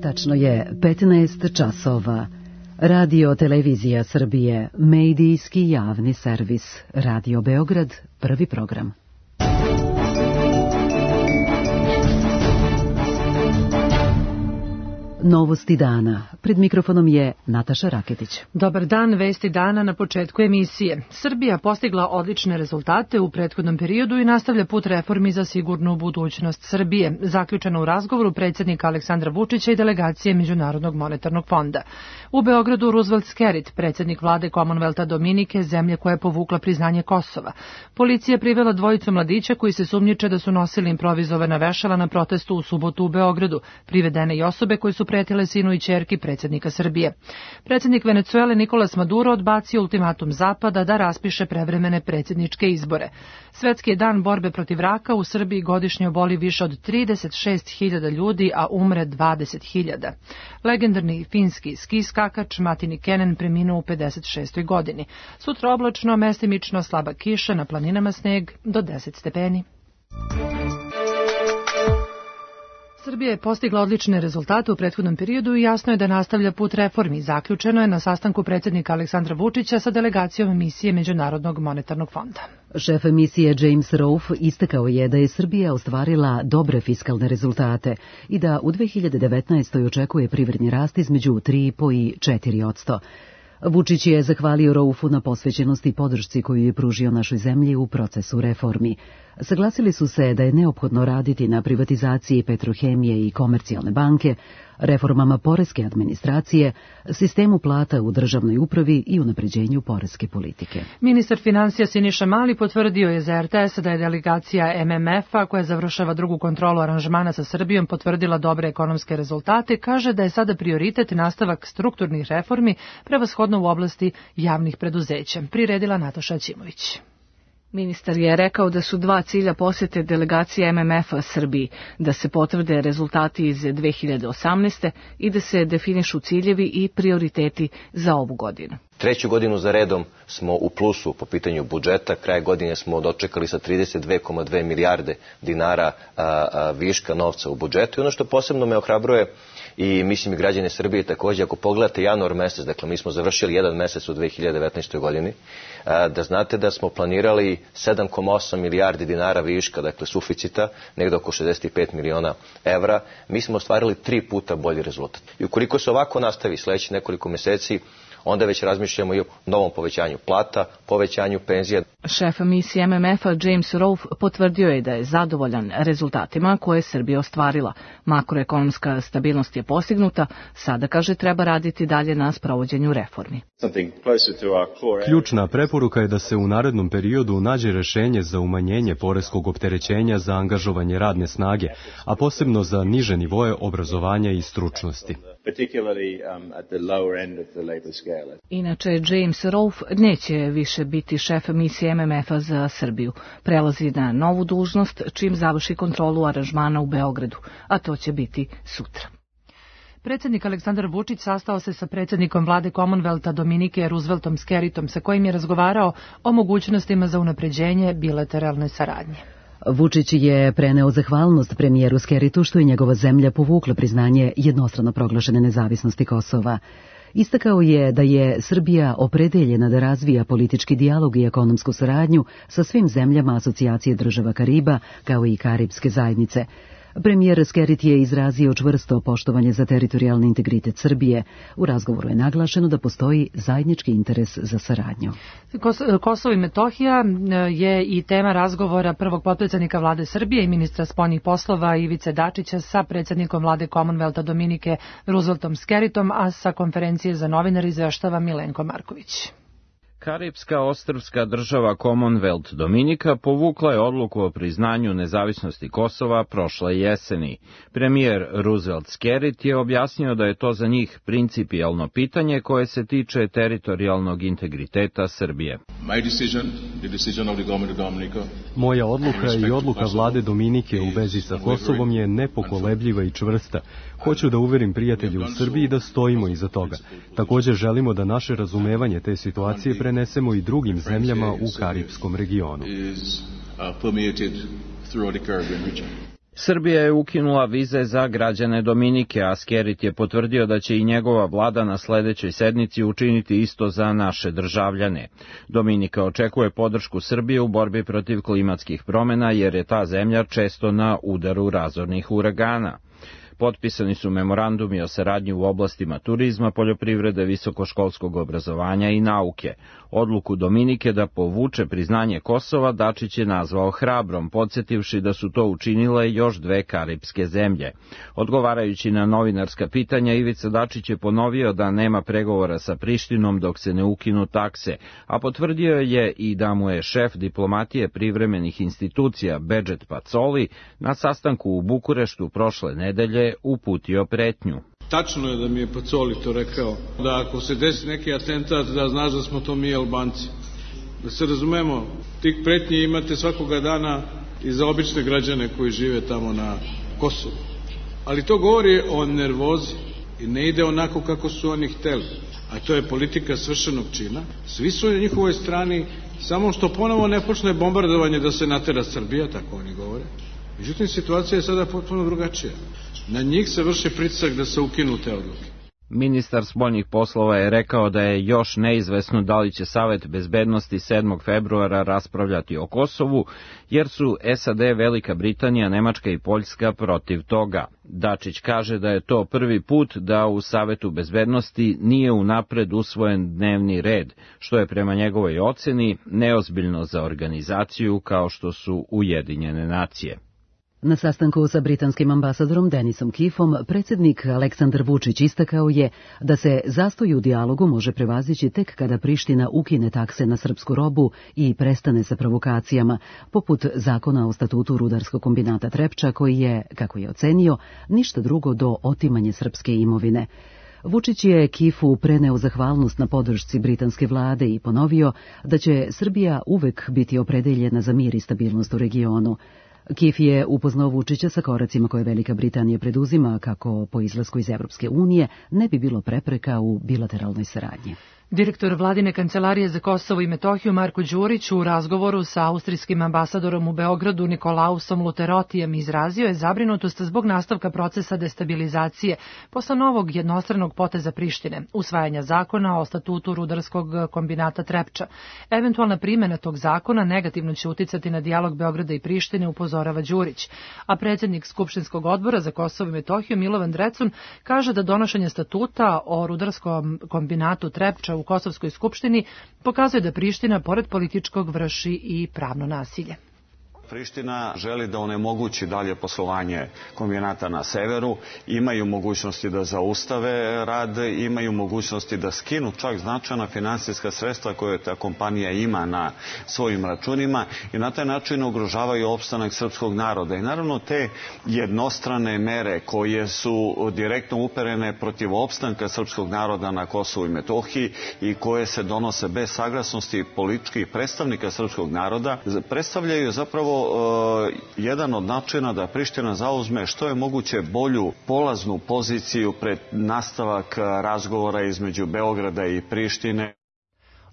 Tačno je 15 časova. Radio Televizija Srbije, medijski javni servis. Radio Beograd, prvi program. Novosti dana. Pred mikrofonom je Nataša Raketić. Dobar dan, vesti dana na početku emisije. Srbija postigla odlične rezultate u prethodnom periodu i nastavlja put reformi za sigurnu budućnost Srbije, zaključeno u razgovoru predsjednika Aleksandra Vučića i delegacije Međunarodnog monetarnog fonda. U Beogradu Roosevelt Skerrit, predsjednik vlade Commonwealtha Dominike, zemlje koja je povukla priznanje Kosova. Policija je privela dvojicu mladića koji se sumnjiče da su nosili improvizovana vešala na protestu u subotu u Beogradu. Privedene i osobe koje su pretile sinu i ćerki predsjednika Srbije. Predsjednik Venecuele Nicolas Maduro odbacio ultimatum Zapada da raspiše prevremene predsjedničke izbore. Svetski je dan borbe protiv raka, u Srbiji godišnje oboli više od 36.000 ljudi, a umre 20.000. Legendarni finski ski skakač Matti Kenen preminuo u 56. godini. Sutra oblačno, mestimično slaba kiša, na planinama sneg do 10 stepeni. Srbija je postigla odlične rezultate u prethodnom periodu i jasno je da nastavlja put reformi. Zaključeno je na sastanku predsjednika Aleksandra Vučića sa delegacijom misije Međunarodnog monetarnog fonda. Šef misije James Rolfe istakao je da je Srbija ostvarila dobre fiskalne rezultate i da u 2019. očekuje privredni rast između 3,5 i 4%. Vučić je zahvalio Rolfu na posvećenosti i podršci koju je pružio našoj zemlji u procesu reformi. Saglasili su se da je neophodno raditi na privatizaciji Petrohemije i Komercijalne banke, reformama poreske administracije, sistemu plata u državnoj upravi i unapređenju poreske politike. Ministar finansija Siniša Mali potvrdio je za RTS da je delegacija MMF-a, koja završava drugu kontrolu aranžmana sa Srbijom, potvrdila dobre ekonomske rezultate. Kaže da je sada prioritet nastavak strukturnih reformi, prevashodno u oblasti javnih preduzeća. Priredila Nataša Ćimović. Ministar je rekao da su dva cilja posjete delegacije MMF-a Srbiji, da se potvrde rezultati iz 2018. i da se definišu ciljevi i prioriteti za ovu godinu. Treću godinu za redom smo u plusu po pitanju budžeta. Kraj godine smo dočekali sa 32,2 milijarde dinara viška novca u budžetu. I ono što posebno me ohrabruje i mislim i građane Srbije također, ako pogledate januar mesec, dakle mi smo završili jedan mesec u 2019. godini, da znate da smo planirali 7,8 milijardi dinara viška, dakle suficita, negdje oko 65 miliona evra. Mi smo ostvarili 3 puta bolji rezultat. I ukoliko se ovako nastavi sljedeći nekoliko mjeseci, onda već razmišljamo i o novom povećanju plata, povećanju penzija. Šef misije MMF-a James Rolfe potvrdio je da je zadovoljan rezultatima koje je Srbija ostvarila. Makroekonomska stabilnost je postignuta, sada, kaže, treba raditi dalje na sprovođenju reformi. Ključna preporuka je da se u narednom periodu nađe rješenje za umanjenje poreskog opterećenja za angažovanje radne snage, a posebno za niže nivoe obrazovanja i stručnosti. Inače, James Rolfe neće više biti šef misije MMF-a za Srbiju. Prelazi na novu dužnost čim završi kontrolu aranžmana u Beogradu, a to će biti sutra. Predsjednik Aleksandar Vučić sastao se sa predsjednikom vlade Commonwealtha Dominike Rooseveltom Skerritom, sa kojim je razgovarao o mogućnostima za unapređenje bilateralne saradnje. Vučić je preneo zahvalnost premijeru Skerritu što je njegova zemlja povukla priznanje jednostrano proglašene nezavisnosti Kosova. Istakao je da je Srbija opredeljena da razvija politički dijalog i ekonomsku saradnju sa svim zemljama asocijacije država Kariba, kao i Karibske zajednice. Premijer Skerrit je izrazio čvrsto poštovanje za teritorijalni integritet Srbije. U razgovoru je naglašeno da postoji zajednički interes za saradnju. Kosovo i Metohija je i tema razgovora prvog potpredsjednika vlade Srbije i ministra spoljnih poslova Ivice Dačića sa predsjednikom vlade Commonwealtha Dominike Rooseveltom Skerritom, a sa konferencije za novinare izveštava Milenko Marković. Karipska ostrvska država Commonwealth Dominika povukla je odluku o priznanju nezavisnosti Kosova prošle jeseni. Premijer Roosevelt Skerrit je objasnio da je to za njih principijelno pitanje koje se tiče teritorijalnog integriteta Srbije. Moja odluka i odluka vlade Dominike u vezi sa Kosovom je nepokolebljiva i čvrsta. Hoću da uverim prijatelje u Srbiji da stojimo iza toga. Također želimo da naše razumevanje te situacije prenesemo i drugim zemljama u Karipskom regionu. Srbija je ukinula vize za građane Dominike, a Skerrit je potvrdio da će i njegova vlada na sledećoj sednici učiniti isto za naše državljane. Dominika očekuje podršku Srbije u borbi protiv klimatskih promena, jer je ta zemlja često na udaru razornih uragana. Potpisani su memorandumi o saradnji u oblastima turizma, poljoprivrede, visokoškolskog obrazovanja i nauke. Odluku Dominike da povuče priznanje Kosova Dačić je nazvao hrabrom, podsjetivši da su to učinile još dve karipske zemlje. Odgovarajući na novinarska pitanja, Ivica Dačić je ponovio da nema pregovora sa Prištinom dok se ne ukinu takse, a potvrdio je i da mu je šef diplomatije privremenih institucija Bedžet Pacoli na sastanku u Bukureštu prošle nedelje uputio pretnju. Tačno je da mi je Pacoli to rekao, da ako se desi neki atentat, da znaš da smo to mi Albanci. Da se razumemo, tih pretnji imate svakoga dana i za obične građane koji žive tamo na Kosovu. Ali to govori o nervozi i ne ide onako kako su oni hteli. A to je politika svršenog čina. Svi su na njihovoj strani, samo što ponovo ne počne bombardovanje da se natera Srbija, tako oni govore. Međutim, situacija je sada potpuno drugačija. Na njih se vrši pritisak da se ukinu te odluke. Ministar spoljnih poslova je rekao da je još neizvesno da li će Savet bezbednosti 7. februara raspravljati o Kosovu, jer su SAD, Velika Britanija, Nemačka i Poljska protiv toga. Dačić kaže da je to prvi put da u Savetu bezbednosti nije unapred usvojen dnevni red, što je prema njegovoj oceni neozbiljno za organizaciju kao što su Ujedinjene nacije. Na sastanku sa britanskim ambasadorom Denisom Keefom, predsjednik Aleksandar Vučić istakao je da se zastoj u dijalogu može prevazići tek kada Priština ukine takse na srpsku robu i prestane sa provokacijama, poput zakona o statutu rudarskog kombinata Trepča, koji je, kako je ocenio, ništa drugo do otimanje srpske imovine. Vučić je Keefu preneo zahvalnost na podršci britanske vlade i ponovio da će Srbija uvek biti opredeljena za mir i stabilnost u regionu. Keef je upoznao Vučića sa koracima koje Velika Britanija preduzima kako po izlasku iz Evropske unije ne bi bilo prepreka u bilateralnoj saradnji. Direktor vladine kancelarije za Kosovo i Metohiju Marko Đurić u razgovoru sa austrijskim ambasadorom u Beogradu Nikolausom Luterotijem izrazio je zabrinutost zbog nastavka procesa destabilizacije posle novog jednostranog poteza Prištine, usvajanja zakona o statutu rudarskog kombinata Trepča. Eventualna primjena tog zakona negativno će uticati na dijalog Beograda i Prištine, upozorava Đurić. A predsjednik Skupštinskog odbora za Kosovo i Metohiju Milovan Drecun kaže da donošenje statuta o rudarskom kombinatu Trepča u Kosovskoj skupštini pokazuje da Priština, pored političkog, vrši i pravno nasilje. Priština želi da onemogući dalje poslovanje kombinata na severu, imaju mogućnosti da zaustave rad, imaju mogućnosti da skinu čak značajna finansijska sredstva koje ta kompanija ima na svojim računima i na taj način ugrožavaju opstanak srpskog naroda. I naravno te jednostrane mere koje su direktno uperene protiv opstanka srpskog naroda na Kosovu i Metohiji i koje se donose bez saglasnosti političkih predstavnika srpskog naroda, predstavljaju zapravo jedan od načina da Priština zauzme što je moguće bolju polaznu poziciju pred nastavak razgovora između Beograda i Prištine.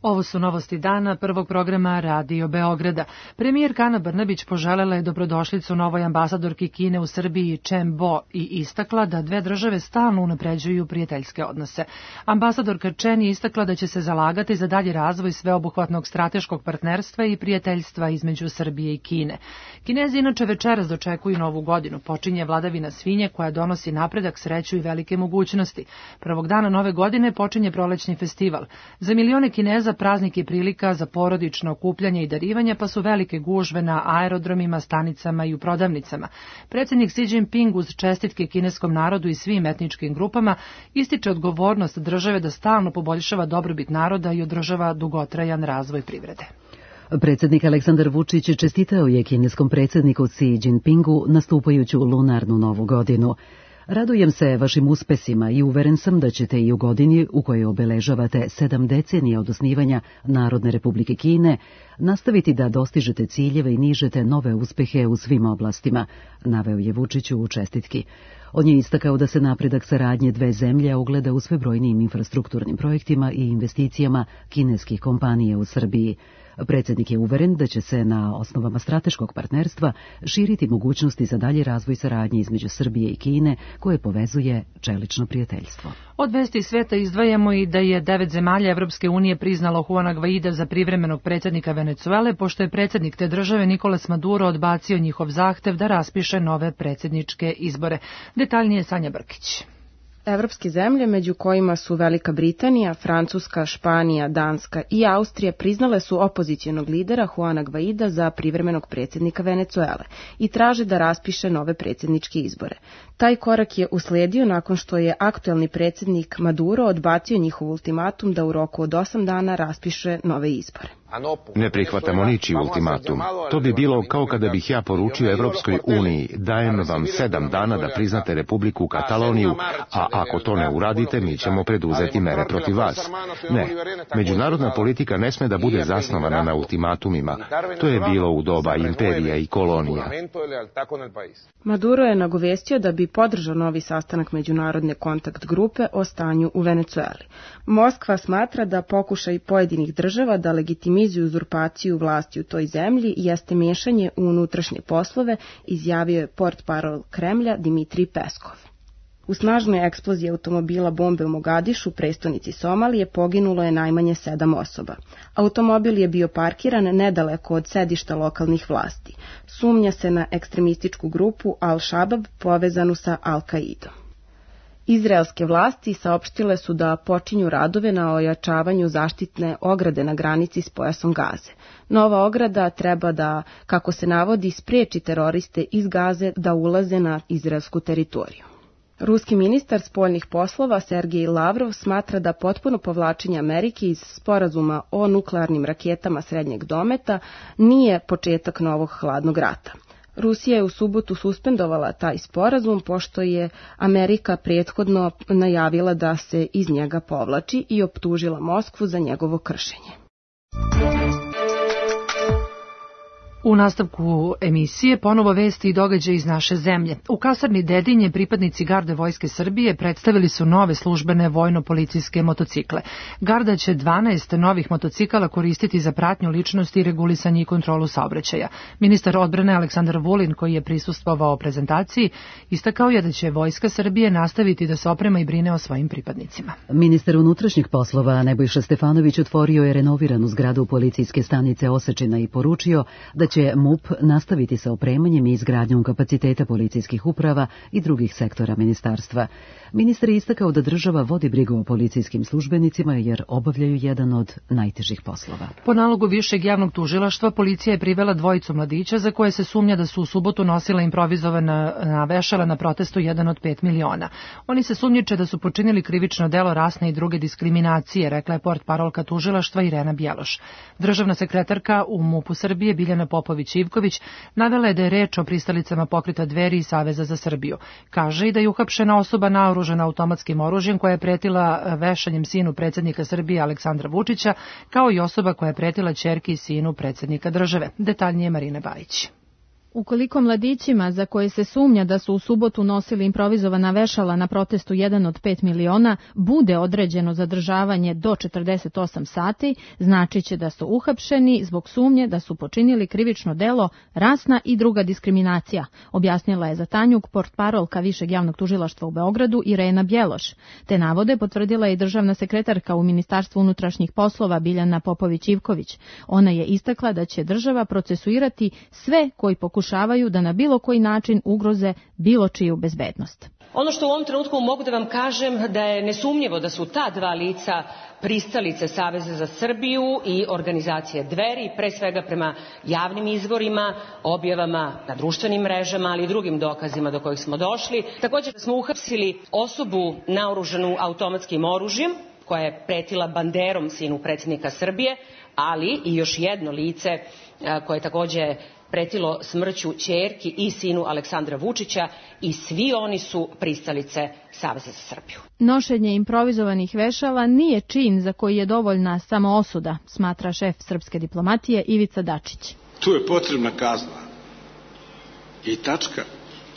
Ovo su novosti dana prvog programa Radio Beograda. Premijerka Ana Brnabić poželela je dobrodošlicu novoj ambasadorki Kine u Srbiji Chen Bo i istakla da dve države stalno unapređuju prijateljske odnose. Ambasadorka Chen je istakla da će se zalagati za dalji razvoj sveobuhvatnog strateškog partnerstva i prijateljstva između Srbije i Kine. Kinezi inače večeras dočekuju novu godinu. Počinje vladavina svinje koja donosi napredak, sreću i velike mogućnosti. Prvog dana nove godine počinje prolećni festival. Za milione Kineza praznik je prilika za porodično okupljanje i darivanje, pa su velike gužve na aerodromima, stanicama i u prodavnicama. Predsjednik Xi Jinping uz čestitke kineskom narodu i svim etničkim grupama ističe odgovornost države da stalno poboljšava dobrobit naroda i održava dugotrajan razvoj privrede. Predsjednik Aleksandar Vučić čestitao je kineskom predsjedniku Xi Jinpingu nastupajuću lunarnu novu godinu. Radujem se vašim uspesima i uveren sam da ćete i u godini u kojoj obeležavate 7 decenija od osnivanja Narodne Republike Kine nastaviti da dostižete ciljeve i nižete nove uspehe u svim oblastima, naveo je Vučiću u čestitki. On je istakao da se napredak saradnje dve zemlje ogleda u sve brojnijim infrastrukturnim projektima i investicijama kineskih kompanija u Srbiji. Predsjednik je uveren da će se na osnovama strateškog partnerstva širiti mogućnosti za dalji razvoj saradnje između Srbije i Kine, koje povezuje čelično prijateljstvo. Od vesti sveta izdvajamo i da je 9 zemalja Evropske unije priznalo Juana Guaida za privremenog predsjednika Venecuele, pošto je predsjednik te države Nicolas Maduro odbacio njihov zahtev da raspiše nove predsjedničke izbore. Detaljnije Sanja Brkić. Evropske zemlje, među kojima su Velika Britanija, Francuska, Španija, Danska i Austrija, priznale su opozicionog lidera Juana Guaida za privremenog predsjednika Venecuele i traže da raspiše nove predsjedničke izbore. Taj korak je usledio nakon što je aktuelni predsjednik Maduro odbacio njihov ultimatum da u roku od 8 dana raspiše nove izbore. Ne prihvatamo ničiji ultimatum. To bi bilo kao kada bih ja poručio Evropskoj uniji, dajem vam 7 dana da priznate Republiku Kataloniju, a ako to ne uradite, mi ćemo preduzeti mere protiv vas. Ne, međunarodna politika ne sme da bude zasnovana na ultimatumima. To je bilo u doba imperija i kolonija. Maduro je nagovestio da bi podržao novi sastanak međunarodne kontakt grupe o stanju u Venecueli. Moskva smatra da pokušaj pojedinih država da legitimizuju uzurpaciju vlasti u toj zemlji jeste miješanje u unutrašnje poslove, izjavio je portparol Kremlja Dimitrij Peskov. U snažnoj eksploziji automobila bombe u Mogadišu, prestonici Somalije, poginulo je najmanje 7 osoba. Automobil je bio parkiran nedaleko od sedišta lokalnih vlasti. Sumnja se na ekstremističku grupu Al-Shabab povezanu sa Al-Kaidom. Izraelske vlasti saopštile su da počinju radove na ojačavanju zaštitne ograde na granici s pojasom Gaze. Nova ograda treba da, kako se navodi, spriječi teroriste iz Gaze da ulaze na izraelsku teritoriju. Ruski ministar spoljnih poslova Sergej Lavrov smatra da potpuno povlačenje Amerike iz sporazuma o nuklearnim raketama srednjeg dometa nije početak novog hladnog rata. Rusija je u subotu suspendovala taj sporazum pošto je Amerika prethodno najavila da se iz njega povlači i optužila Moskvu za njegovo kršenje. U nastavku emisije ponovo vesti i događaje iz naše zemlje. U kasarni Dedinje pripadnici Garde Vojske Srbije predstavili su nove službene vojno-policijske motocikle. Garda će 12 novih motocikala koristiti za pratnju ličnosti, regulisanje i kontrolu saobraćaja. Ministar odbrane Aleksandar Vulin, koji je prisustvovao prezentaciji, istakao je da će Vojska Srbije nastaviti da se oprema i brine o svojim pripadnicima. Ministar unutrašnjih poslova Nebojša Stefanović otvorio je renoviranu zgradu policijske stanice Osečina i poručio da će MUP nastaviti sa opremanjem i izgradnjom kapaciteta policijskih uprava i drugih sektora ministarstva. Ministar je istakao da država vodi brigu o policijskim službenicima jer obavljaju jedan od najtežih poslova. Po nalogu Višeg javnog tužilaštva policija je privela dvojicu mladića za koje se sumnja da su u subotu nosila improvizovana vešala na protestu 1 od 5 miliona. Oni se sumnjiče da su počinili krivično delo rasne i druge diskriminacije, rekla je portparolka tužilaštva Irena Bjeloš. Državna sekretarka u MUP-u Srbije Biljana Popović-Ivković navela je da je reč o pristalicama Pokreta Dveri i Saveza za Srbiju. Kaže i da je uhapšena osoba naoružana automatskim oružjem koja je pretila vešanjem sinu predsjednika Srbije Aleksandra Vučića, kao i osoba koja je pretila ćerki i sinu predsjednika države. Detaljnije Marina Bajić. Ukoliko mladićima za koje se sumnja da su u subotu nosili improvizovana vešala na protestu 1 od 5 miliona bude određeno zadržavanje do 48 sati, značiće da su uhapšeni zbog sumnje da su počinili krivično delo rasna i druga diskriminacija, objasnila je za Tanjug portparolka Višeg javnog tužilaštva u Beogradu Irena Bjeloš. Te navode potvrdila i državna sekretarka u Ministarstvu unutrašnjih poslova Biljana Popović-Ivković. Ona je istakla da će država procesuirati sve koji pokušavaju da na bilo koji način ugroze bilo čiju bezbednost. Ono što u ovom trenutku mogu da vam kažem da je nesumnjivo da su ta dva lica pristalice Saveza za Srbiju i organizacije Dveri, pre svega prema javnim izvorima, objavama na društvenim mrežama, ali i drugim dokazima do kojih smo došli. Također smo uhapsili osobu naoružanu automatskim oružjem, koja je pretila banderom sinu predsjednika Srbije, ali i još jedno lice koje je također pretilo smrću ćerki i sinu Aleksandra Vučića i svi oni su pristalice Saveza za Srbiju. Nošenje improvizovanih vešala nije čin za koji je dovoljna samo osuda, smatra šef srpske diplomatije Ivica Dačić. Tu je potrebna kazna. I tačka.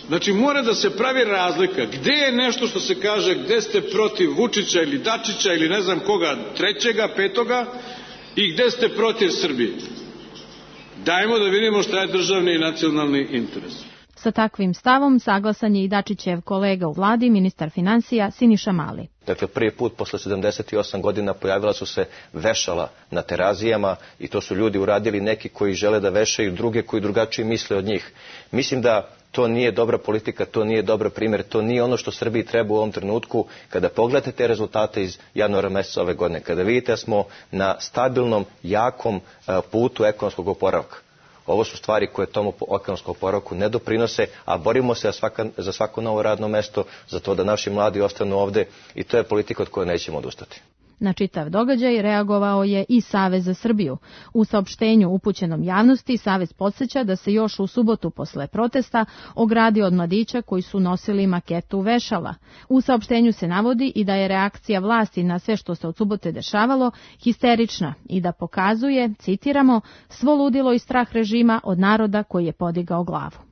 Znači, mora da se pravi razlika. Gde je nešto što se kaže, gde ste protiv Vučića ili Dačića ili ne znam koga, trećega, petoga, i gde ste protiv Srbije. Dajmo da vidimo šta je državni i nacionalni interes. Sa takvim stavom saglasan je i Dačićev kolega u vladi, ministar finansija Siniša Mali. Dakle, prvi put posle 78 godina pojavila su se vešala na Terazijama i to su ljudi uradili, neki koji žele da vešaju druge koji drugačije misle od njih. Mislim da to nije dobra politika, to nije dobar primjer, to nije ono što Srbiji treba u ovom trenutku. Kada pogledate te rezultate iz januara meseca ove godine, kada vidite da smo na stabilnom, jakom putu ekonomskog oporavka. Ovo su stvari koje tomu ekonomskom oporavku ne doprinose, a borimo se za svako novo radno mesto, za to da naši mladi ostanu ovde i to je politika od koje nećemo odustati. Na čitav događaj reagovao je i Savez za Srbiju. U saopštenju upućenom javnosti Savez podsjeća da se još u subotu posle protesta ogradio od mladića koji su nosili maketu vešala. U saopštenju se navodi i da je reakcija vlasti na sve što se od subote dešavalo histerična i da pokazuje, citiramo, svo ludilo i strah režima od naroda koji je podigao glavu.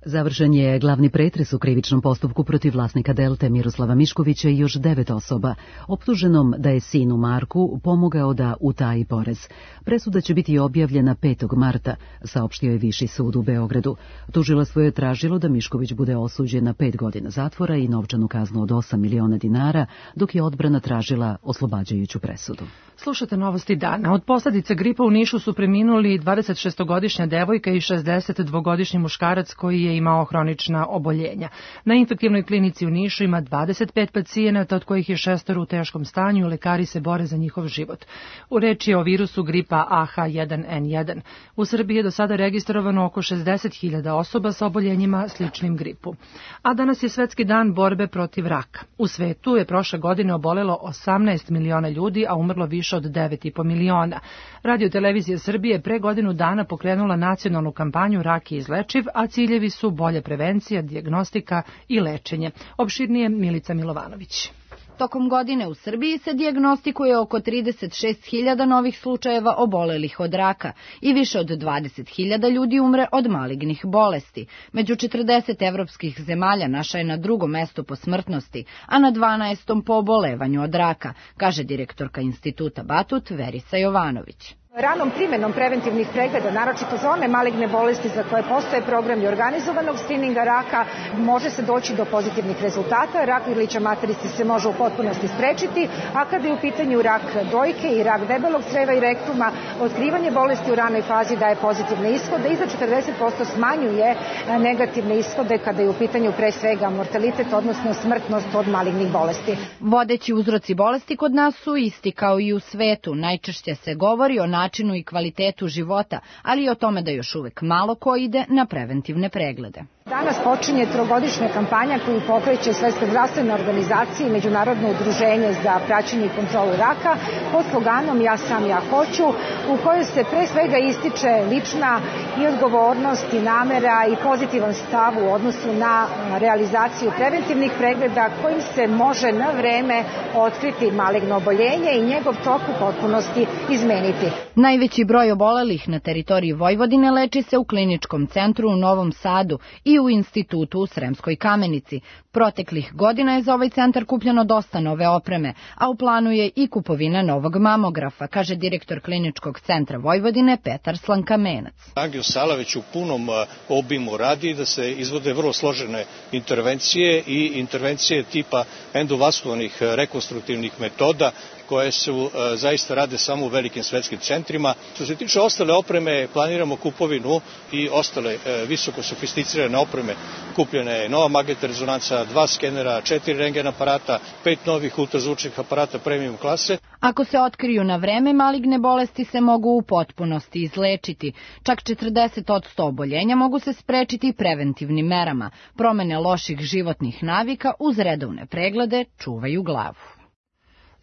Završen je glavni pretres u krivičnom postupku protiv vlasnika Delte Miroslava Miškovića i još 9 osoba, optuženom da je sinu Marku pomogao da utaji porez. Presuda će biti objavljena 5. marta, saopštio je Viši sud u Beogradu. Tužilaštvo je tražilo da Mišković bude osuđen na 5 godina zatvora i novčanu kaznu od 8 miliona dinara, dok je odbrana tražila oslobađajuću presudu. Slušate novosti dana. Od posljedica gripa u Nišu su preminuli 26-godišnja devojka i 62-godišnji muškarac koji je imao hronična oboljenja. Na infektivnoj klinici u Nišu ima 25 pacijenata, od kojih je 6 u teškom stanju, lekari se bore za njihov život. U reči je o virusu gripa AH1N1. U Srbiji je do sada registrovano oko 60.000 osoba sa oboljenjima sličnim gripu. A danas je Svetski dan borbe protiv raka. U svetu je prošle godine obolelo 18 miliona ljudi, a umrlo više od 9,5 miliona. Radio televizija Srbije pre godinu dana pokrenula nacionalnu kampanju Rak je izlečiv, a ciljevi su bolje prevencija, dijagnostika i lečenje. Opširnije Milica Milovanović. Tokom godine u Srbiji se dijagnostikuje oko 36.000 novih slučajeva obolelih od raka i više od 20.000 ljudi umre od malignih bolesti. Među 40 evropskih zemalja naša je na 2. mestu po smrtnosti, a na 12. po obolevanju od raka, kaže direktorka Instituta Batut Verica Jovanović. Ranom primjenom preventivnih pregleda, naročito za one maligne bolesti za koje postoje programi organizovanog skrininga raka, može se doći do pozitivnih rezultata. Rak grlića materice se može u potpunosti sprečiti, a kada je u pitanju rak dojke i rak debelog creva i rektuma, otkrivanje bolesti u ranoj fazi daje pozitivne ishode i za 40% smanjuje negativne ishode kada je u pitanju pre svega mortalitet, odnosno smrtnost od malignih bolesti. Vodeći uzroci bolesti kod nas su isti kao i u svetu. Najčešće se govori o načinu i kvalitetu života, ali i o tome da još uvek malo ko ide na preventivne preglede. Danas počinje 3-godišnja kampanja koju pokreće Svetska zdravstvena organizacija i Međunarodno udruženje za praćenje i kontrolu raka pod sloganom Ja sam, ja hoću, u kojoj se pre svega ističe lična i odgovornost i namera i pozitivan stav u odnosu na realizaciju preventivnih pregleda kojim se može na vreme otkriti maligno oboljenje i njegov tok u potpunosti izmeniti. Najveći broj obolelih na teritoriji Vojvodine leči se u kliničkom centru u Novom Sadu i u institutu u Sremskoj Kamenici. Proteklih godina je za ovaj centar kupljeno dosta nove opreme, a u planu je i kupovina novog mamografa, kaže direktor kliničkog centra Vojvodine Petar Slankamenac. Angiosala već u punom obimu radi da se izvode vrlo složene intervencije i intervencije tipa endovaskularnih rekonstruktivnih metoda koje su zaista rade samo u velikim svetskim centrima. Što se tiče ostale opreme, planiramo kupovinu i ostale visoko sofisticirane opreme. Kupljena je nova magnetna rezonanca, 2 skenera, 4 rentgen aparata, 5 novih ultrazvučnih aparata premium klase. Ako se otkriju na vreme, maligne bolesti se mogu u potpunosti izlečiti. Čak 40% oboljenja mogu se sprečiti preventivnim merama. Promene loših životnih navika uz redovne preglede čuvaju glavu.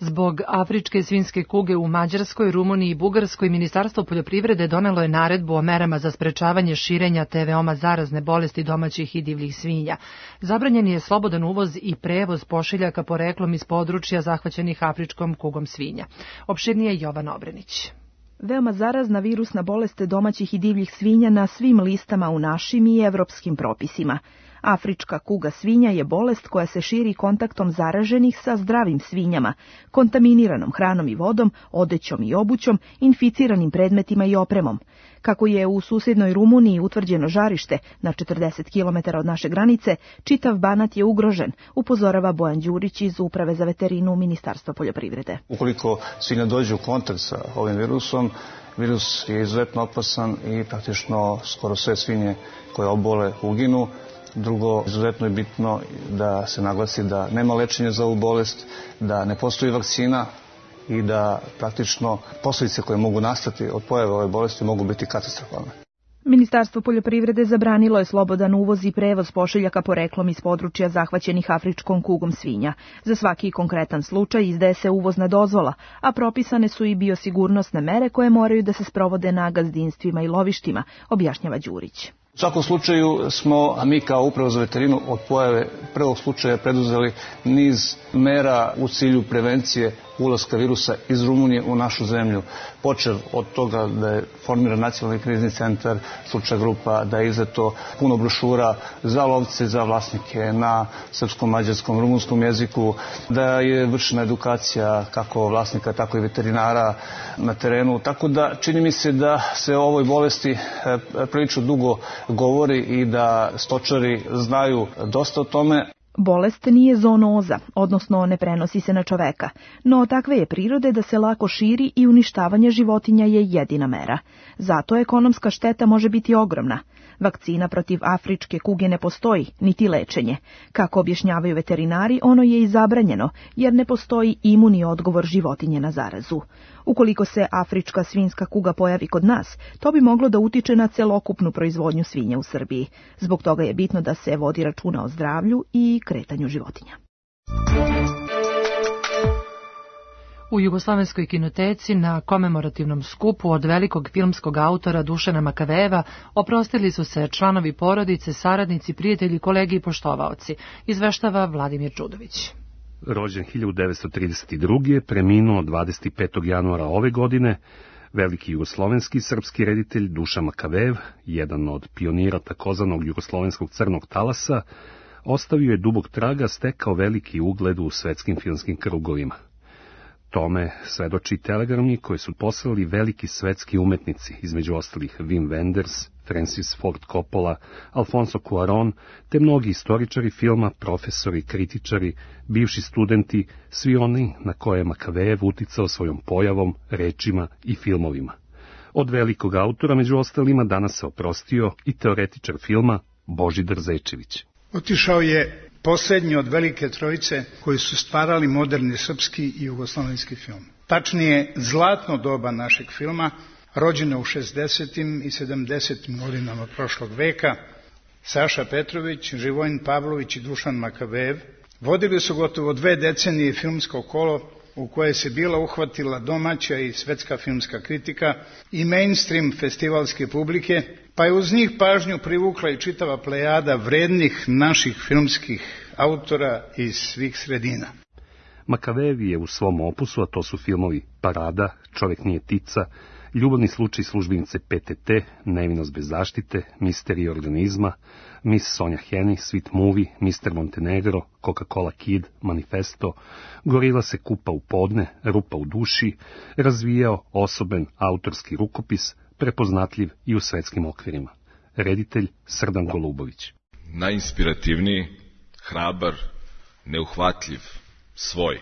Zbog afričke svinjske kuge u Mađarskoj, Rumuniji i Bugarskoj, Ministarstvo poljoprivrede donelo je naredbu o merama za sprečavanje širenja te veoma zarazne bolesti domaćih i divljih svinja. Zabranjen je slobodan uvoz i prevoz pošiljaka poreklom iz područja zahvaćenih afričkom kugom svinja. Opširnije Jovan Obrenić. veoma zarazna virusna bolest domaćih i divljih svinja na svim listama u našim i evropskim propisima. Afrička kuga svinja je bolest koja se širi kontaktom zaraženih sa zdravim svinjama, kontaminiranom hranom i vodom, odećom i obućom, inficiranim predmetima i opremom. Kako je u susjednoj Rumuniji utvrđeno žarište na 40 km od naše granice, čitav Banat je ugrožen, upozorava Bojan Đurić iz Uprave za veterinu Ministarstva poljoprivrede. Ukoliko svinja dođe u kontakt sa ovim virusom, virus je izuzetno opasan i praktično skoro sve svinje koje obole uginu. Drugo, izuzetno je bitno da se naglasi da nema lečenja za ovu bolest, da ne postoji vakcina i da praktično posljedice koje mogu nastati od pojave ove bolesti mogu biti katastrofalne. Ministarstvo poljoprivrede zabranilo je slobodan uvoz i prevoz pošiljaka poreklom iz područja zahvaćenih afričkom kugom svinja. Za svaki konkretan slučaj izdaje se uvozna dozvola, a propisane su i biosigurnosne mere koje moraju da se sprovode na gazdinstvima i lovištima, objašnjava Đurić. U svakom slučaju smo, a mi kao Uprava za veterinu od pojave prvog slučaja preduzeli niz mera u cilju prevencije ulaska virusa iz Rumunije u našu zemlju. Počev od toga da je formiran nacionalni krizni centar, stručna grupa, da je izdato puno brošura za lovce, za vlasnike na srpskom, mađarskom, rumunskom jeziku, da je vršena edukacija kako vlasnika, tako i veterinara na terenu. Tako da čini mi se da se o ovoj bolesti prilično dugo govori i da stočari znaju dosta o tome. Bolest nije zoonoza, odnosno ne prenosi se na čoveka, no takve je prirode da se lako širi i uništavanje životinja je jedina mera. Zato ekonomska šteta može biti ogromna. Vakcina protiv afričke kuge ne postoji, niti lečenje. Kako objašnjavaju veterinari, ono je i zabranjeno, jer ne postoji imuni odgovor životinje na zarazu. Ukoliko se afrička svinjska kuga pojavi kod nas, to bi moglo da utiče na celokupnu proizvodnju svinja u Srbiji. Zbog toga je bitno da se vodi računa o zdravlju i kretanju životinja. U Jugoslovenskoj kinoteci na komemorativnom skupu od velikog filmskog autora Dušana Makavejeva oprostili su se članovi porodice, saradnici, prijatelji, kolegi i poštovaoci, izveštava Vladimir Čudović. Rođen 1932. preminuo 25. januara ove godine, veliki jugoslovenski srpski reditelj Dušan Makavejev, jedan od pionira takozvanog jugoslovenskog crnog talasa, ostavio je dubog traga, stekao veliki ugled u svetskim filmskim krugovima. Tome svedoči telegramni koje su poslali veliki svetski umetnici, između ostalih Wim Wenders, Francis Ford Coppola, Alfonso Cuarón, te mnogi istoričari filma, profesori, kritičari, bivši studenti, svi oni na koje je Makavejev uticao svojom pojavom, rečima i filmovima. Od velikog autora, među ostalima, danas se oprostio i teoretičar filma Božidar Zečević. Otišao je posljednji od velike trojice koji su stvarali moderni srpski i jugoslovenski film. Tačnije, zlatno doba našeg filma, rođeno u 60. i 70. godinama prošlog veka, Saša Petrović, Živojin Pavlović i Dušan Makavejev vodili su gotovo 2 decenije filmsko kolo u koje se bila uhvatila domaća i svetska filmska kritika i mainstream festivalske publike, pa je uz njih pažnju privukla i čitava plejada vrednih naših filmskih autora iz svih sredina. Makavejev je u svom opusu, a to su filmovi Parada, Čovjek nije tica, Ljubavni slučaj službenice PTT, Nevinost bez zaštite, Misterij organizma, Miss Sonja Heni, Sweet Movie, Mr. Montenegro, Coca-Cola Kid, Manifesto, Gorila se kupa u podne, Rupa u duši, razvijao osoben autorski rukopis, prepoznatljiv i u svetskim okvirima. Reditelj Srdan Golubović. Najinspirativniji, hrabar, neuhvatljiv, svoj.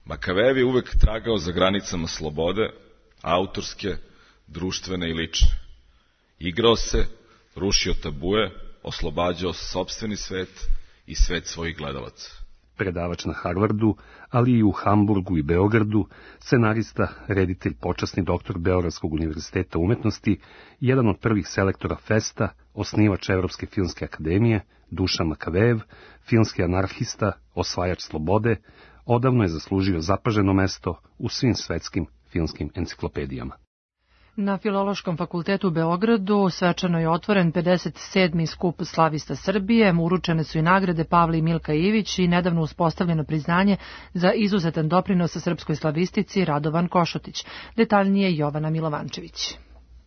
Makavejev je uvek tragao za granicama slobode, autorske, društvene i lične. Igrao se, rušio tabue, oslobađao sopstveni svet i svet svojih gledalaca. Predavač na Harvardu, ali i u Hamburgu i Beogradu, scenarista, reditelj, počasni doktor Beogradskog univerziteta umetnosti, jedan od prvih selektora Festa, osnivač Evropske filmske akademije, Dušan Makavejev, filmski anarhista, osvajač slobode, odavno je zaslužio zapaženo mesto u svim svetskim filmskim enciklopedijama. Na Filološkom fakultetu u Beogradu svečano je otvoren 57. skup slavista Srbije, uručene su i nagrade Pavle i Milka Ivić i nedavno uspostavljeno priznanje za izuzetan doprinos srpskoj slavistici Radovan Košutić. Detaljnije Jovana Milovančević.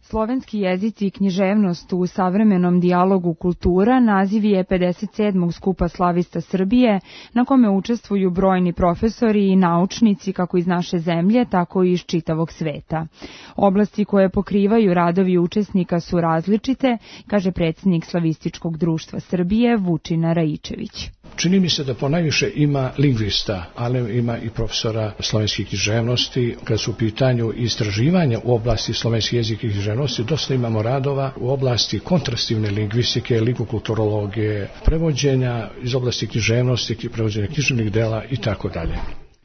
Slovenski jezici i književnost u savremenom dijalogu kultura naziv je 57. skupa slavista Srbije, na kome učestvuju brojni profesori i naučnici kako iz naše zemlje, tako i iz čitavog sveta. Oblasti koje pokrivaju radovi učesnika su različite, kaže predsjednik Slavističkog društva Srbije Vučina Raičević. Čini mi se da ponajviše ima lingvista, ali ima i profesora slovenskih književnosti. Kad su u pitanju istraživanja u oblasti slovenskih jezika i književnosti, dosta imamo radova u oblasti kontrastivne lingvistike, lingvokulturologije, prevođenja iz oblasti književnosti, prevođenja književnih dela i tako dalje.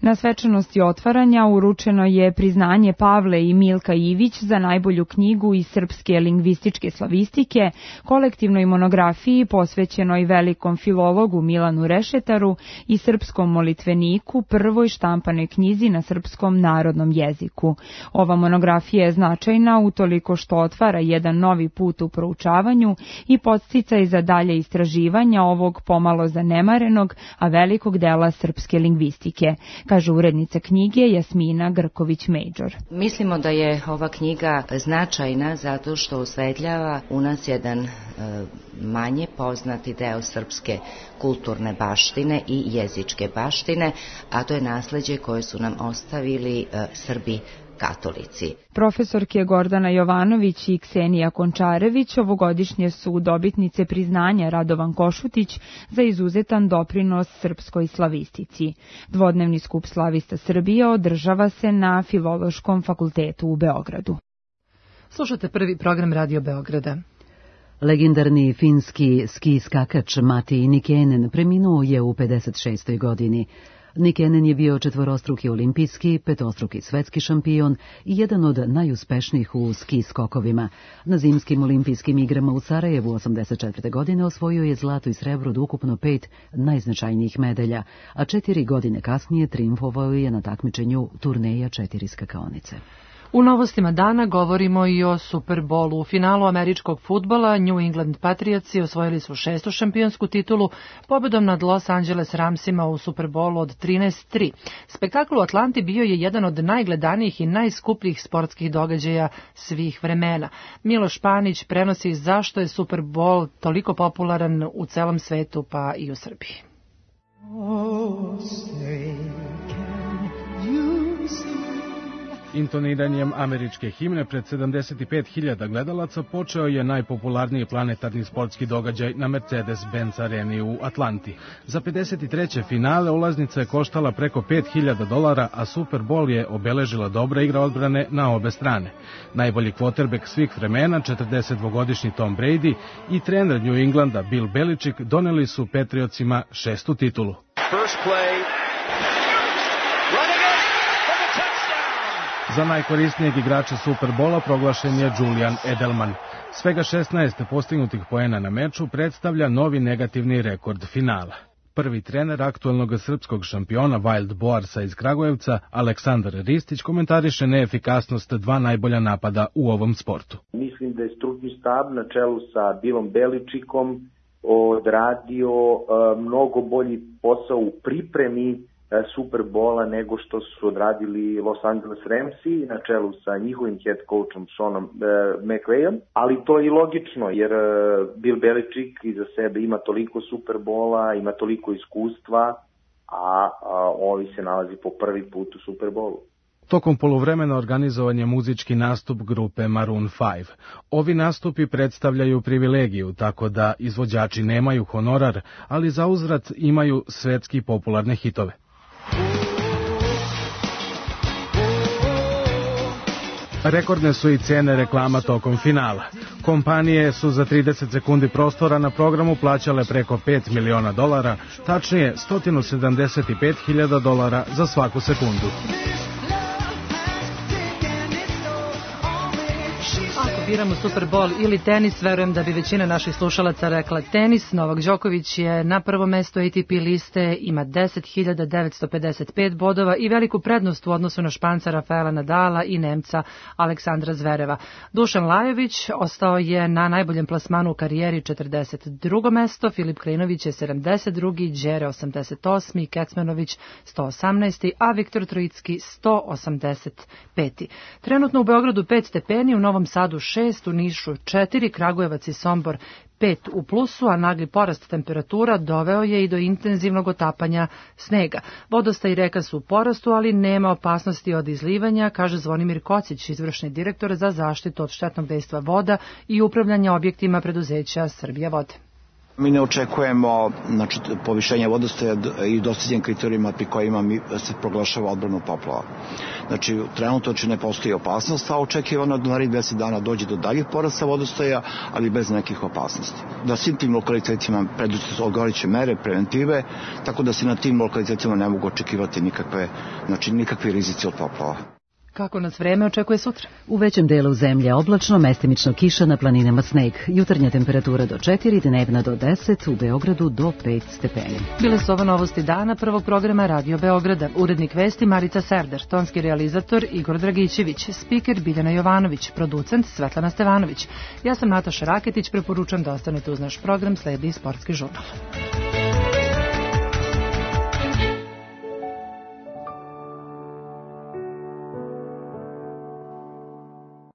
Na svečanosti otvaranja uručeno je priznanje Pavle i Milka Ivić za najbolju knjigu iz srpske lingvističke slavistike, kolektivnoj monografiji posvećenoj velikom filologu Milanu Rešetaru i srpskom molitveniku, prvoj štampanoj knjizi na srpskom narodnom jeziku. Ova monografija je značajna utoliko što otvara jedan novi put u proučavanju i podsticaj za dalje istraživanja ovog pomalo zanemarenog, a velikog dela srpske lingvistike, kaže urednica knjige Jasmina Grković-Međor. Mislimo da je ova knjiga značajna zato što osvetljava u nas jedan manje poznati deo srpske kulturne baštine i jezičke baštine, a to je nasleđe koje su nam ostavili Srbi katolici. Profesorke Gordana Jovanović i Ksenija Končarević ovogodišnje su dobitnice priznanja Radovan Košutić za izuzetan doprinos srpskoj slavistici. Dvodnevni skup slavista Srbije održava se na Filološkom fakultetu u Beogradu. Slušate prvi program Radio Beograda. Legendarni finski ski skakač Mati Nikenen preminuo je u 56. godini. Nikenen je bio četvorostruki olimpijski, petostruki svetski šampion i jedan od najuspešnijih u ski skokovima. Na zimskim olimpijskim igrama u Sarajevu 84. godine osvojio je zlato i srebro od ukupno 5 najznačajnijih medalja, a 4 godine kasnije trijumfovao je na takmičenju turneja 4 skakaonice. U novostima dana govorimo i o Super Bowlu. U finalu američkog fudbala New England Patriotsi osvojili su 6. šampionsku titulu pobedom nad Los Angeles Ramsima u Super Bowlu od 13-3. Spektakl u Atlanti bio je jedan od najgledanijih i najskupljih sportskih događaja svih vremena. Miloš Panić prenosi zašto je Super Bowl toliko popularan u celom svetu pa i u Srbiji. Intoniranjem američke himne pred 75.000 gledalaca počeo je najpopularniji planetarni sportski događaj na Mercedes-Benz areni u Atlanti. Za 53. finale ulaznica je koštala preko $5.000, a Super Bowl je obeležila dobra igra odbrane na obe strane. Najbolji kvotrbek svih vremena, 42-godišnji Tom Brady i trener New Englanda Bill Belichick doneli su Patriotsima 6. titulu. Za najkorisnijeg igrača Superbola proglašen je Julian Edelman. Svega 16 postignutih poena na meču predstavlja novi negativni rekord finala. Prvi trener aktuelnog srpskog šampiona Wild Boarsa iz Kragujevca, Aleksandar Ristić, komentariše neefikasnost 2 najbolja napada u ovom sportu. Mislim da je stručni štab na čelu sa Billom Beličickom odradio mnogo bolji posao u pripremi Superbola nego što su odradili Los Angeles Ramsi na čelu sa njihovim head coachom Seanom McVayom, ali to je i logično jer Bill Belichick iza sebe ima toliko Superbola, ima toliko iskustva, a ovi se nalazi po prvi put u Superbolu. Tokom poluvremena organizovan je muzički nastup grupe Maroon 5. Ovi nastupi predstavljaju privilegiju, tako da izvođači nemaju honorar, ali za uzvrat imaju svetski popularne hitove. Rekordne su i cene reklama tokom finala. Kompanije su za 30 sekundi prostora na programu plaćale preko $5 miliona, tačnije $175.000 za svaku sekundu. Ako biramo Super Bowl ili tenis, verujem da bi većina naših slušalaca rekla tenis. Novak Đoković je na prvom mestu ATP liste, ima 10.955 bodova i veliku prednost u odnosu na Španca Rafaela Nadala i Nemca Aleksandra Zvereva. Dušan Lajović ostao je na najboljem plasmanu u karijeri, 42. mesto, Filip Krajinović je 72. Đere 88. Kecmanović 118. a Viktor Trojicki 185. Trenutno u Beogradu 5 stepeni, u Novom Sadu 6, u Nišu 4, Kragujevac i Sombor 5 u plusu, a nagli porast temperatura doveo je i do intenzivnog otapanja snega. Vodostaj i reka su u porastu, ali nema opasnosti od izlivanja, kaže Zvonimir Kocić, izvršni direktor za zaštitu od štetnog dejstva voda i upravljanje objektima preduzeća Srbija vode. Mi ne očekujemo povišenje vodostaja i dostizanje kriterijuma pri kojima se proglašava odbranu poplava. Znači, trenutno ne postoji opasnost, a očekivano da narednih 10 dana dođe do daljih porasta vodostaja, ali bez nekih opasnosti. Da svim tim lokalitetima preduzete odgovarajuće mere, preventive, tako da se na tim lokalitetima ne mogu očekivati nikakvi rizici od poplava. Kako nas vreme očekuje sutra? U većem delu zemlje oblačno, mestimično kiša, na planinama sneg. Jutarnja temperatura do 4, dnevna do 10, u Beogradu do 5 stepeni. Bile su ovo novosti dana prvog programa Radio Beograda. Urednik vesti Marica Serder, tonski realizator Igor Dragićević, spiker Biljana Jovanović, producent Svetlana Stevanović. Ja sam Nataša Raketić, preporučam da ostanete uz naš program, sledi Sportski žurnal.